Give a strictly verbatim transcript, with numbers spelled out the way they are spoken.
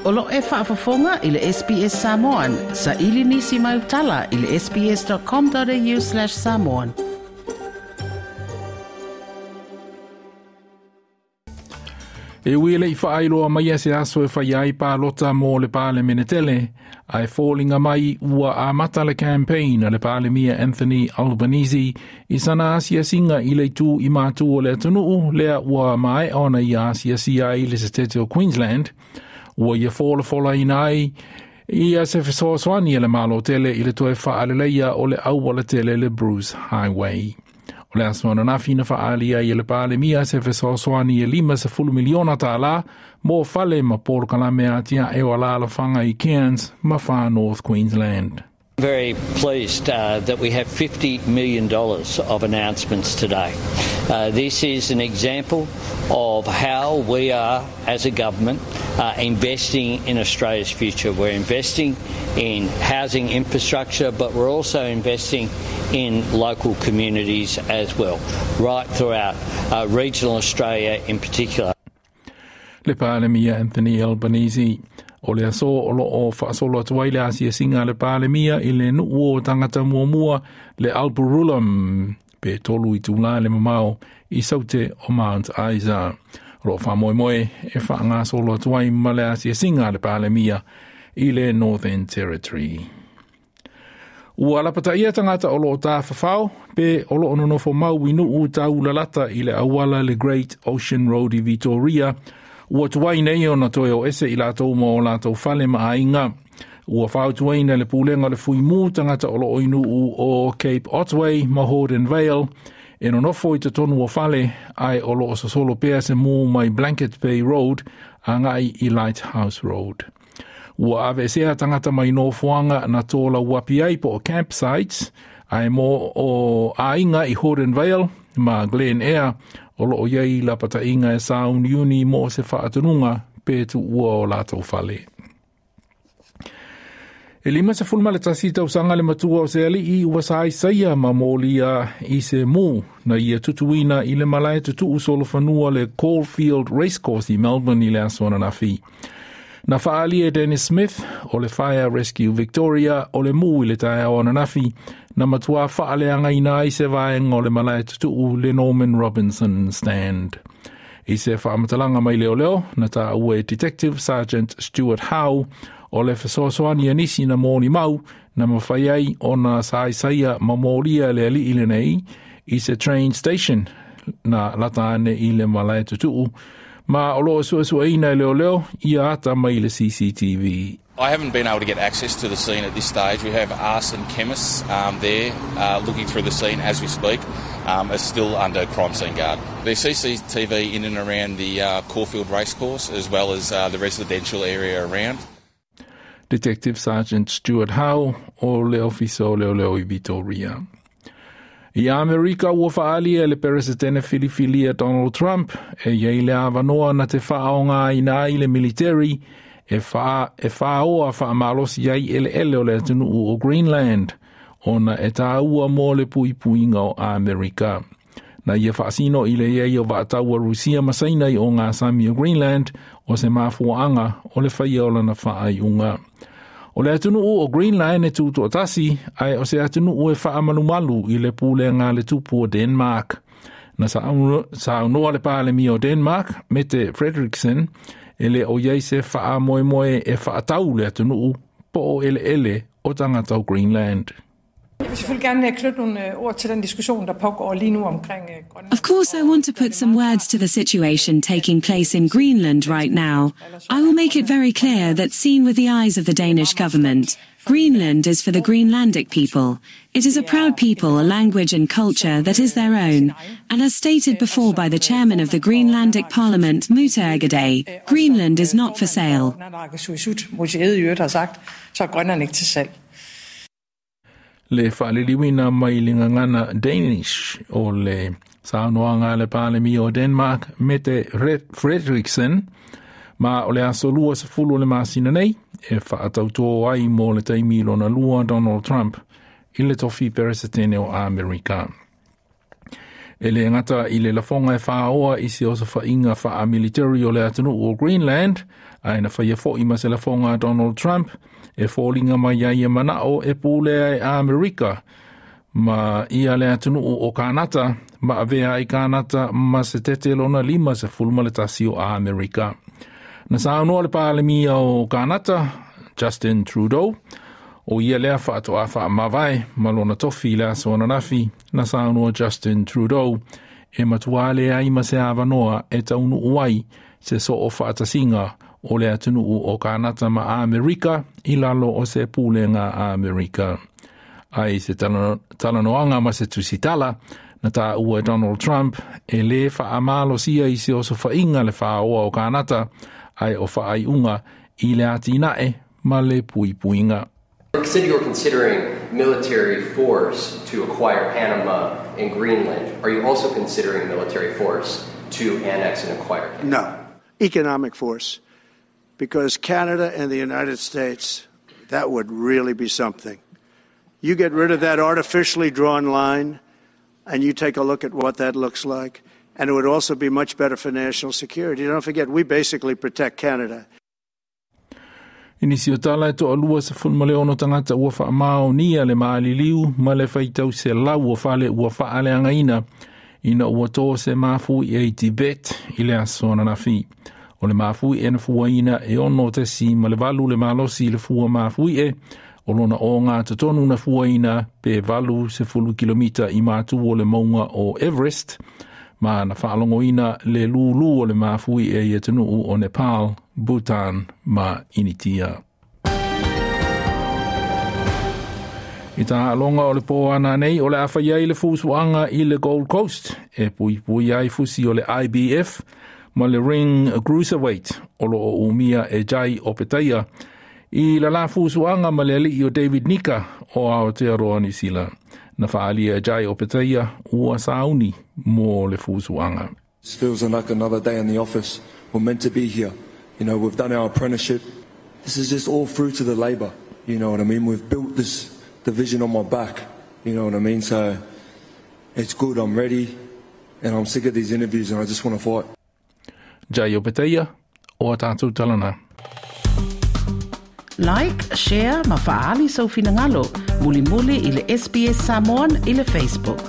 O lo e faafofoga i le S B S Samoan, sa ili nisi mai utala i le S B S dot com dot A U slash samoan. E ui le i whaailoa mai se aso e whai ai pālota mō le pāle tele, ai fōlinga mai ua a mata le campaign a le Palemia Anthony Albanese i sana asiasinga i le tū i mātu o le atunuu lea ua mae ona i asiasia i le setete o Queensland, ua ia fōla ina ai ia se fesoasoani e le malo tele i le toe whaaleleia o le auala tele le Bruce Highway. O le aso ananafi na whaalia i le Palemia se fesoasoani e lima sefulu miliona tālā mō fale ma polokalame atia e o alalafaga i Cairns ma Far North Queensland. Very pleased uh, that we have fifty million dollars of announcements today. Uh, this is an example of how we are, as a government, uh, investing in Australia's future. We're investing in housing infrastructure, but we're also investing in local communities as well, right throughout uh, regional Australia in particular. Le Palemia Anthony Albanese. O le aso o lo o whaasolo atu ai le asiasinga le Palemia i le nuu o tangata muamua le Alpurrurulam pe tolu itulā le mamao i saute o Mount Isa. O lo whamoemoe e whaangasolo atu ai ma le asiasinga le Palemia i le Northern Territory. Ua lapata ia tangata o lo o tāwhawhao pe o lo o nonofo mau i nuu taulalata i le auala le Great Ocean Road i Victoria ua tuai nei ona toe o ese i latou ma o latou fale ma aiga. Ua fautuaina le pulega le fuimu tangata o lo o i nuu o Cape Otway ma Horden Vale e nonofo i totonu o fale ai o lo o sosolo pea se mū mai Blanket Bay Road agai i Lighthouse Road. Ua aveesea tangata mai nofoaga na tō uapi ai po o campsites ai mo o aiga i Horden Vale ma Glen Air o lo o iai lapataʻiga e sauniuni mo se faatonuga pe tuua o latou fale. E lima sefulu ma le tasi tausaga le matua o se alii ua saisaia ma molia i se mū na ia tutuina i le malae tutuu solofanua le Caulfield Racecourse i Melbourne i le aso ananafi. Na whaalia e Dennis Smith o le Fire Rescue Victoria o le mū i le taeao ananafi na matua whaaleanga ai se vaenga o le malae tutuu le Norman Robinson Stand. I se whaamatalaga mai leoleo, na taua e Detective Sergeant Stuart Howe o le fesoasoani a nisi na molimau na mafai ai ona saisaia ma molia le alii lenei i se train station na lata ane i le malae tutuu ma o lo suesueina e leoleo ia ata mai le C C T V. I haven't been able to get access to the scene at this stage. We have arson chemists um, there uh, looking through the scene as we speak. Um, it's still under crime scene guard. There's C C T V in and around the uh, Caulfield Racecourse, as well as uh, the residential area around. Detective Sergeant Stuart Howe o le ofisa o leoleo i Victoria. I Amerika ua whaalia le peresetene filifilia Donald Trump e iai le avanoa na te whaaogaina ai le military e wha, e whaoa whaamalosi ai eleele o le atunuu o Greenland ona e tāua mō le puipuiga o Amerika. Na ia whaasino i le iai o vaataua Rusia ma Saina i o ngā sami o Greenland o se mafuaanga o le whaia o lana whaaiunga. O le atunuu o Greenland e tutoatasi ai o se atunuu e whaamalumalu i le pulega le tupu o Denmark. Na saunoa le Palemia o Denmark, Mette Frederiksen, e le o iai se whaamoemoe e whaatau le atunuu po o eleele o tangata o Greenland. Jeg vil selvfølgelig gerne knytte nogle ord til den diskussion, der pågår lige nu omkring Grønland. Of course, I want to put some words to the situation taking place in Greenland right now. I will make it very clear that, seen with the eyes of the Danish government, Greenland is for the Greenlandic people. It is a proud people, a language and culture that is their own. And as stated before by the chairman of the Greenlandic Parliament, Múte Egede, Greenland is not for sale. Naalakkersuisut, Múte i øvrigt har sagt, så er Grønland ikke til salg. Le faaliliuina mai le gagana Danish o le saunoaga le Palemia o Denmark Mette Frederiksen ma o le aso lua sefulu o le masina nei e faatautō ai mo le taimi lona lua Donald Trump i le tofi peresetene o Amerika. E le gata i le lafoga e faaoa i se osofaiga faamilitari o le atunuu o Greenland, ae na faia fo'i ma se lafoga a Donald Trump e foliga mai ai e mana'o e pulea e Amerika ma ia le atunuu o Kanata ma avea ai Kanata ma se tete lona lima sefulu ma le tasi o Amerika. Na saunoa le Palemia o Kanata, Justin Trudeau, o ia lea faatoa faamavae ma lona tofi i le aso ananafi. Na saunoa Justin Trudeau e matuā leai ma se avanoa e taunuu ai se soo faatasiga o le atunuu o Kanata ma Amerika i lalo o se pulega Amerika. Ai se talanoaga ma se tusitala na taua e Donald Trump e lē faamalosia i se osofaiga le faaoa o Kanata, ae o faaiuga i le atinae ma le puipuiga. You said you were considering military force to acquire Panama and Greenland. Are you also considering military force to annex and acquire Canada? No, economic force. Because Canada and the United States, that would really be something. You get rid of that artificially drawn line, and you take a look at what that looks like, and it would also be much better for national security. Don't forget, we basically protect Canada. I nisi o tala e toalua sefulu ma le ono tagata ua faamaonia le maliliu ma le faitau selau o fale ua faaleagaina ina ua tō se mafuie i Tibet i le aso ananafi. O le mafuie na fuaina e ono tesi ma le valu le malosi i le fua mafuie o lona o ngā totonu na fuaina pe valu sefulu kilomita i matu o le maunga o Everest ma na whaalongoina le lūlū o le mafuie i atunuu o Nepal, Bhutan ma Initia. I taaloga o le pō ana nei o le a fai ai le fusuaga i le Gold Coast e puipui ai fusi o le I B F ma le ring cruiserweight o loo umia e Jai Opetaia i la la fusuaga ma le alii o David Nika o Aotearoa Nisila. Na faalia e Jai Opetaia ua sauni mo le fusuaga. It feels like another day in the office. We're meant to be here. You know, we've done our apprenticeship. This is just all fruit of the labour. You know what I mean? We've built this division on my back. You know what I mean? So it's good. I'm ready. And I'm sick of these interviews and I just want to fight. Jai Opetaia o a tātou talana. Like, share ma faali sau finagalo. Mulimuli i le S B S Samoan i le Facebook.